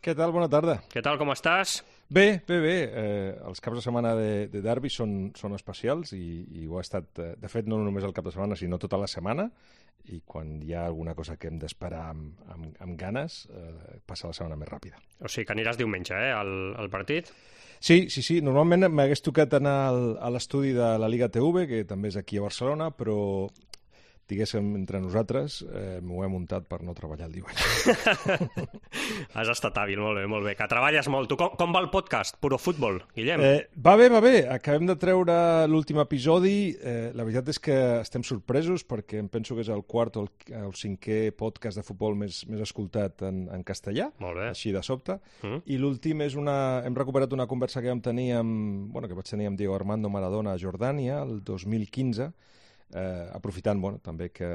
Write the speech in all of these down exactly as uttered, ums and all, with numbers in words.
Què tal? Bona tarda. Què tal, com estàs? Bé, bé, bé. Eh, els caps de setmana de, de derbi són, són especials i, i ho ha estat, eh, de fet, no només el cap de setmana, sinó tota la setmana. I quan hi ha alguna cosa que hem d'esperar amb, amb, amb ganes, eh, passa la setmana més ràpida. O sigui, que aniràs diumenge, eh, al, al partit? Sí, sí, sí. Normalment m'hagués tocat anar al, a l'estudi de la Liga T V, que també és aquí a Barcelona, però diguéssim, entre nosaltres, eh, m'ho he muntat per no treballar el diumenge. Has estat hàbil, molt bé, molt bé. Que treballes molt. Tu, com, com va el podcast? Puro futbol, Guillem? Eh, va bé, va bé. Acabem de treure l'últim episodi. Eh, la veritat és que estem sorpresos perquè em penso que és el quart o el, el cinquè podcast de futbol més, més escoltat en, en castellà, molt bé. Així de sobte. Mm. I l'últim és una... Hem recuperat una conversa que vam tenir amb... Bueno, que vaig tenir amb Diego Armando Maradona a Jordània el dos mil quinze, Eh, aprofitant bueno, també que,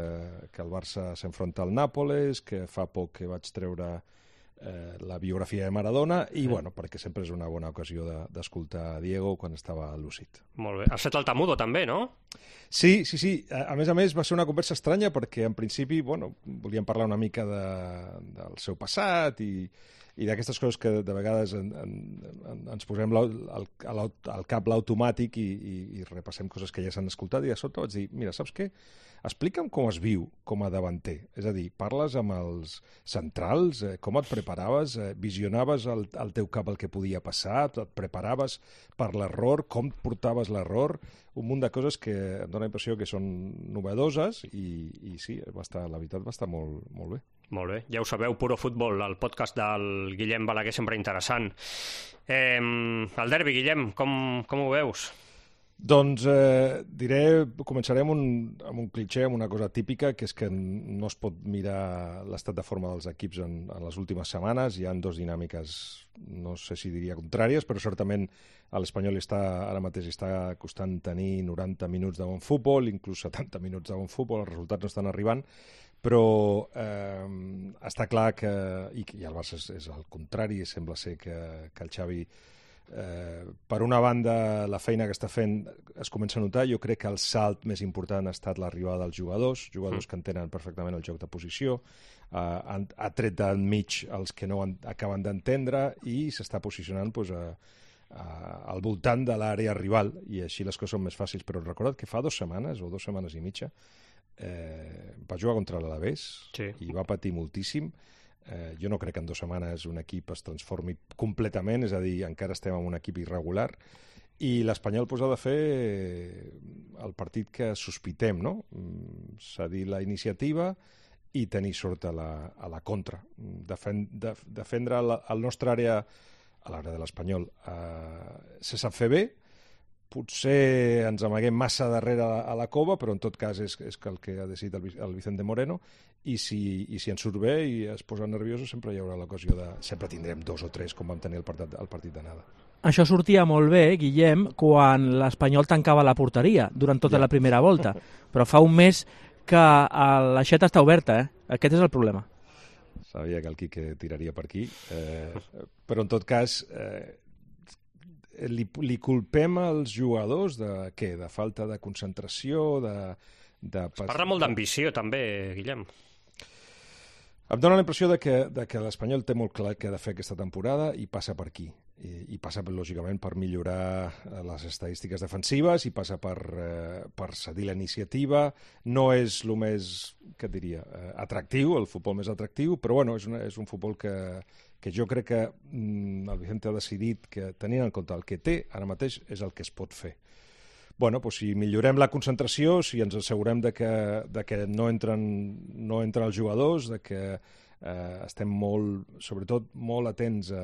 que el Barça s'enfronta al Nàpoles, que fa poc que vaig treure eh, la biografia de Maradona i sí. bueno, perquè sempre és una bona ocasió d'escoltar de, Diego quan estava lúcid. Molt bé. Has fet el Tamudo també, no? Sí, sí, sí. A, a més a més va ser una conversa estranya perquè en principi bueno, volíem parlar una mica de, del seu passat i i d'aquestes coses que de vegades en, en, en, ens posem al, al, al cap l'automàtic i, i, i repassem coses que ja s'han escoltat i de sobte vaig dir, mira, saps què? Explica'm com es viu com a davanter. És a dir, parles amb els centrals, eh, com et preparaves, eh, visionaves al, al teu cap el que podia passar, et preparaves per l'error, com portaves l'error, un munt de coses que em dóna la impressió que són novedoses i, i sí, va estar, la veritat va estar molt, molt bé. Molt bé, ja ho sabeu, Puro Futbol, el podcast del Guillem Balaguer, sempre interessant. Eh, el derbi, Guillem, com, com ho veus? Doncs eh, diré, començarem un, amb un clitxé, amb una cosa típica, que és que no es pot mirar l'estat de forma dels equips en, en les últimes setmanes. Hi ha dues dinàmiques, no sé si diria contràries, però certament a l'Espanyol està, ara mateix està costant tenir noranta minuts de bon futbol, inclús setanta minuts de bon futbol, els resultats no estan arribant, però eh, està clar que, i, i el Barça és, és el contrari, sembla ser que, que el Xavi Eh, per una banda la feina que està fent es comença a notar. Jo crec que el salt més important ha estat l'arribada dels jugadors, jugadors mm. que entenen perfectament el joc de posició, eh, han, ha tret d'enmig els que no han, acaben d'entendre i s'està posicionant pues, a, a, al voltant de l'àrea rival i així les coses són més fàcils. Però recorda't que fa dues setmanes o dues setmanes i mitja eh, va jugar contra l'Alavés sí. i va patir moltíssim. Eh, jo no crec que en dues setmanes un equip es transformi completament, és a dir, encara estem en un equip irregular i l'Espanyol pues, ha de fer el partit que sospitem, no? Cedir la iniciativa i tenir sort a la, a la contra. Defen, def, defendre la, el nostre àrea, a l'àrea de l'Espanyol, eh, se sap fer bé, potser ens amaguem massa darrere a la cova, però en tot cas és, és el que ha decidit el, el Vicente Moreno, i si, i si ens surt bé i es posa nerviosos sempre hi haurà l'ocasió de... Sempre tindrem dos o tres com vam tenir el partit, el partit d'anada. Això sortia molt bé, Guillem, quan l'Espanyol tancava la porteria durant tota ja. la primera volta, però fa un mes que l'aixeta està oberta, eh? Aquest és el problema. Sabia que el Quique tiraria per aquí, eh, però en tot cas... Eh, Li, li culpem als jugadors de què? De falta de concentració, de... de es parla molt d'ambició, també, Guillem. Em dóna la impressió de que, de que l'Espanyol té molt clar què ha de fer aquesta temporada i passa per aquí. I, i passa, lògicament, per millorar les estadístiques defensives i passa per, eh, per cedir la iniciativa. No és el més, què et diria, eh, atractiu, el futbol més atractiu, però bueno, és, una, és un futbol que, que jo crec que mm, el Vicente ha decidit que, tenint en compte el que té, ara mateix és el que es pot fer. Bueno, doncs si millorem la concentració, si ens assegurem de que, de que no, entren, no entren els jugadors, de que eh, estem molt, sobretot molt atents a,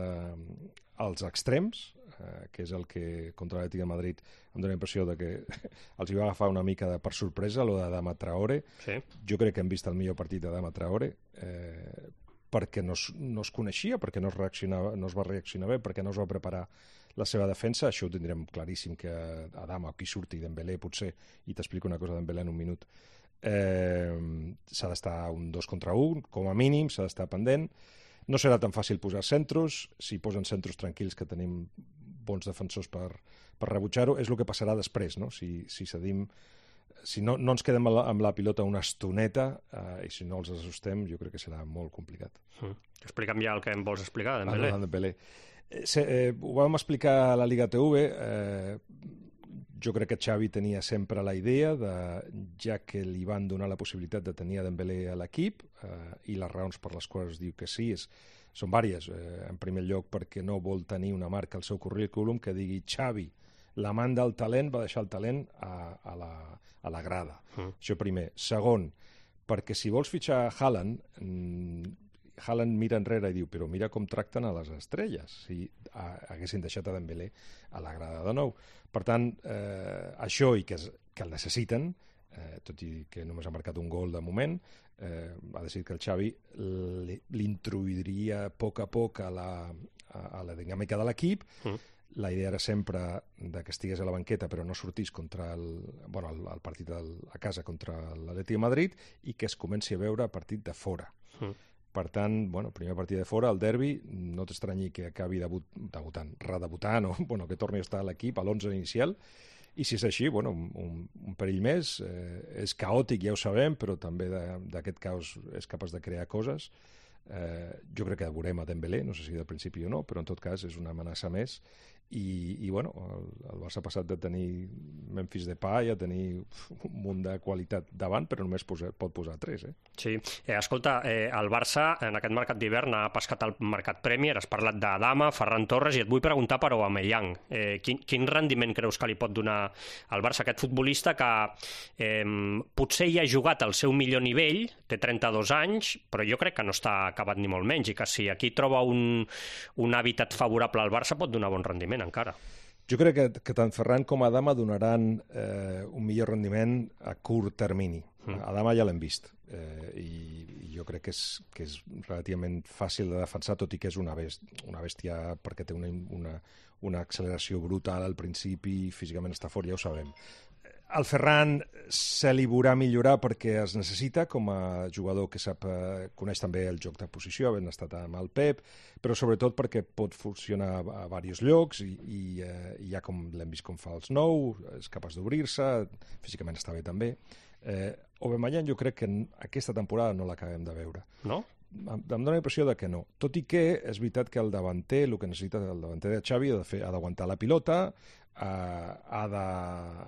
als extrems, eh, que és el que contra l'Atlètic de Madrid em dóna la impressió de que els hi va agafar una mica de, per sorpresa, lo de Adama Traoré. Sí. Jo crec que hem vist el millor partit d'Adama Traoré, eh, perquè no es, no es coneixia, perquè no es, reaccionava, no es va reaccionar bé, perquè no es va preparar la seva defensa. Això ho tindrem claríssim que Adama o qui surti, Dembélé potser, i t'explico una cosa de Dembélé en un minut, eh, s'ha d'estar un dos contra un, com a mínim, s'ha d'estar pendent. No serà tan fàcil posar centros, si posen centros tranquils que tenim bons defensors per, per rebutjar-ho, és el que passarà després, no? Si, si cedim si no, no ens quedem amb la, amb la pilota una estoneta eh, i si no els assustem, jo crec que serà molt complicat. Mm. Explica'm ja el que em vols explicar, Dembélé. Ah, Dembélé. Eh, eh, ho vam explicar a la Liga T V. Eh, jo crec que Xavi tenia sempre la idea, de, ja que li van donar la possibilitat de tenir a Dembélé a l'equip, eh, i les raons per les quals diu que sí és, són vàries. Eh, en primer lloc, perquè no vol tenir una marca al seu currículum que digui Xavi, l'amant del talent, va deixar el talent a, a, la, a la grada. Mm. Això primer. Segon, perquè si vols fitxar Haaland, mmm, Haaland mira enrere i diu, però mira com tracten a les estrelles, si a, haguessin deixat a Dembélé a la grada de nou. Per tant, eh, això i que, es, que el necessiten, eh, tot i que només ha marcat un gol de moment, eh, ha decidit que el Xavi l'introduiria a poc a poc a la, a, a la dinàmica de l'equip. Mm. La idea era sempre de que estigués a la banqueta però no sortís contra el, bueno, el, el partit del, a casa contra l'Atlètic de Madrid i que es comenci a veure partit de fora. Mm. Per tant, bueno, primer partit de fora, el derbi, no t'estranyi que acabi debut, debutant, redebutant o bueno, que torni a estar a l'equip, a l'onze inicial, i si és així, bueno, un, un perill més, eh, és caòtic, ja ho sabem, però també d'aquest caos és capaç de crear coses. Eh, jo crec que veurem a Dembélé, no sé si del principi o no, però en tot cas és una amenaça més. I, i bueno, el, el Barça ha passat de tenir Memphis Depay a tenir un munt de qualitat davant, però només posa, pot posar tres. Eh? Sí, eh, escolta, eh, el Barça en aquest mercat d'hivern ha pescat el mercat Premier, has parlat d'Adama, Ferran Torres, i et vull preguntar per Aubameyang. Eh, quin, quin rendiment creus que li pot donar al Barça aquest futbolista que eh, potser hi ha jugat al seu millor nivell, té trenta-dos anys, però jo crec que no està acabat ni molt menys, i que si aquí troba un, un hàbitat favorable al Barça pot donar bon rendiment encara. Jo crec que, que tant Ferran com Adama donaran eh, un millor rendiment a curt termini. Mm. Adama ja l'hem vist eh, i, i jo crec que és, que és relativament fàcil de defensar, tot i que és una bèstia, una bèstia perquè té una, una, una acceleració brutal al principi i físicament està fort, ja ho sabem. El Ferran se li veurà millorar perquè es necessita com a jugador que sap, eh, coneix també el joc de posició, havent estat amb el Pep, però sobretot perquè pot funcionar a, a diversos llocs i, i, eh, i ja com l'hem vist com fa els nou, és capaç d'obrir-se, físicament està bé també. Eh, Aubameyang jo crec que aquesta temporada no l'acabem de veure. No? Em dóna la impressió de que no. Tot i que és veritat que el davanter, el que necessita el davanter de Xavi, ha de fer, ha d'aguantar la pilota, Uh, ha de,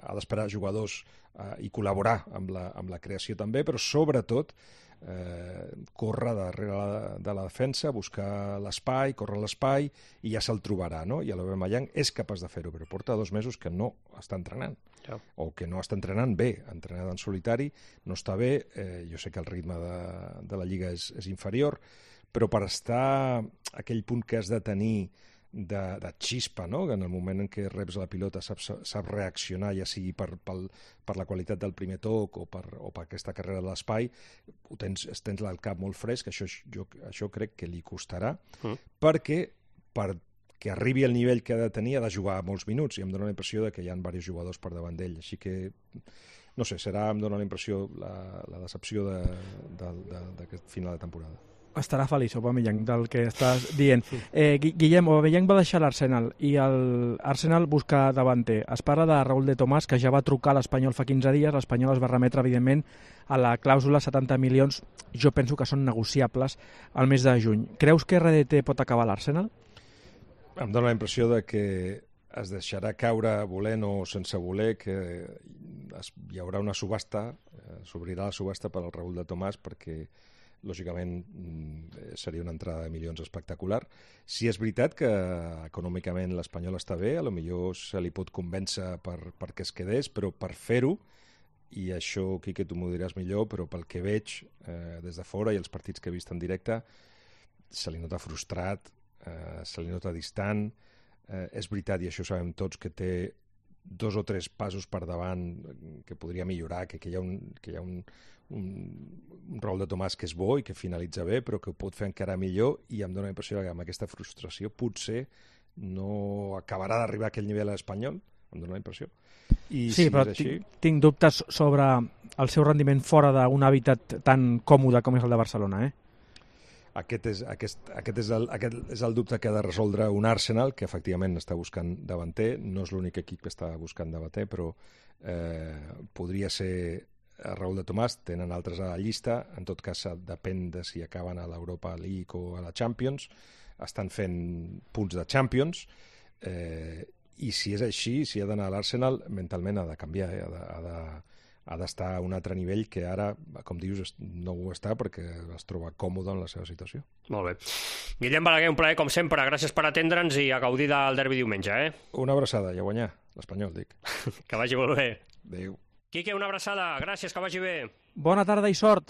ha d'esperar jugadors uh, i col·laborar amb la, amb la creació també, però sobretot uh, córrer darrere la, de la defensa, buscar l'espai, córrer l'espai i ja se'l trobarà, no? I l'Aubameyang és capaç de fer-ho, però porta dos mesos que no està entrenant, ja. O que no està entrenant bé, ha entrenat en solitari, no està bé, eh, jo sé que el ritme de, de la Lliga és, és inferior, però per estar a aquell punt que has de tenir de, de xispa, no? Que en el moment en què reps la pilota saps, saps reaccionar, ja sigui per, per, per la qualitat del primer toc o per, o per aquesta carrera de l'espai, ho tens, tens el cap molt fresc, això, jo, això crec que li costarà, mm. perquè perquè arribi al nivell que ha de tenir ha de jugar molts minuts, i em dóna la impressió de que hi ha diversos jugadors per davant d'ell, així que no sé, serà, em dóna la impressió, la, la decepció d'aquest final de temporada. Estarà feliç, Aubameyang, del que estàs dient. Eh, Guillem, Aubameyang va deixar l'Arsenal i l'Arsenal busca davanter. Es parla de Raúl de Tomàs, que ja va trucar a l'Espanyol fa quinze dies. L'Espanyol es va remetre, evidentment, a la clàusula setanta milions. Jo penso que són negociables al mes de juny. Creus que R D T pot acabar l'Arsenal? Em dóna la impressió de que es deixarà caure volent o sense voler, que es, hi haurà una subhasta, eh, s'obrirà la subhasta per al Raúl de Tomàs, perquè lògicament seria una entrada de milions espectacular. Si és veritat que econòmicament l'Espanyol està bé, a lo millor se li pot convèncer per, perquè es quedés, però per fer-ho, i això, Quique, tu m'ho diràs millor, però pel que veig eh, des de fora i els partits que he vist en directe, se li nota frustrat, eh, se li nota distant. Eh, és veritat, i això ho sabem tots, que té dos o tres passos per davant que podria millorar, que, que hi ha un... Que hi ha un un, un Raúl de Tomàs que és bo i que finalitza bé, però que ho pot fer encara millor, i em dóna la impressió que amb aquesta frustració potser no acabarà d'arribar a aquell nivell a l'Espanyol, em dóna la impressió. I sí, si però és així... tinc, tinc dubtes sobre el seu rendiment fora d'un hàbitat tan còmode com és el de Barcelona, eh? aquest és, aquest, aquest, és el, aquest és el dubte que ha de resoldre un Arsenal, que efectivament està buscant davanter. No és l'únic equip que està buscant davanter, però eh, podria ser Raúl de Tomàs. Tenen altres a la llista. En tot cas, depèn de si acaben a l'Europa League o a la Champions. Estan fent punts de Champions. Eh, I si és així, si ha d'anar a l'Arsenal, mentalment ha de canviar, eh? ha de... Ha de ha d'estar a un altre nivell que ara, com dius, no ho està perquè es troba còmode en la seva situació. Molt bé. Guillem Balaguer, un plaer com sempre. Gràcies per atendre'ns i a gaudir del derbi diumenge, eh? Una abraçada i a guanyar. L'Espanyol, dic. Que vagi molt bé. Adéu. Quique, una abraçada. Gràcies, que vagi bé. Bona tarda i sort.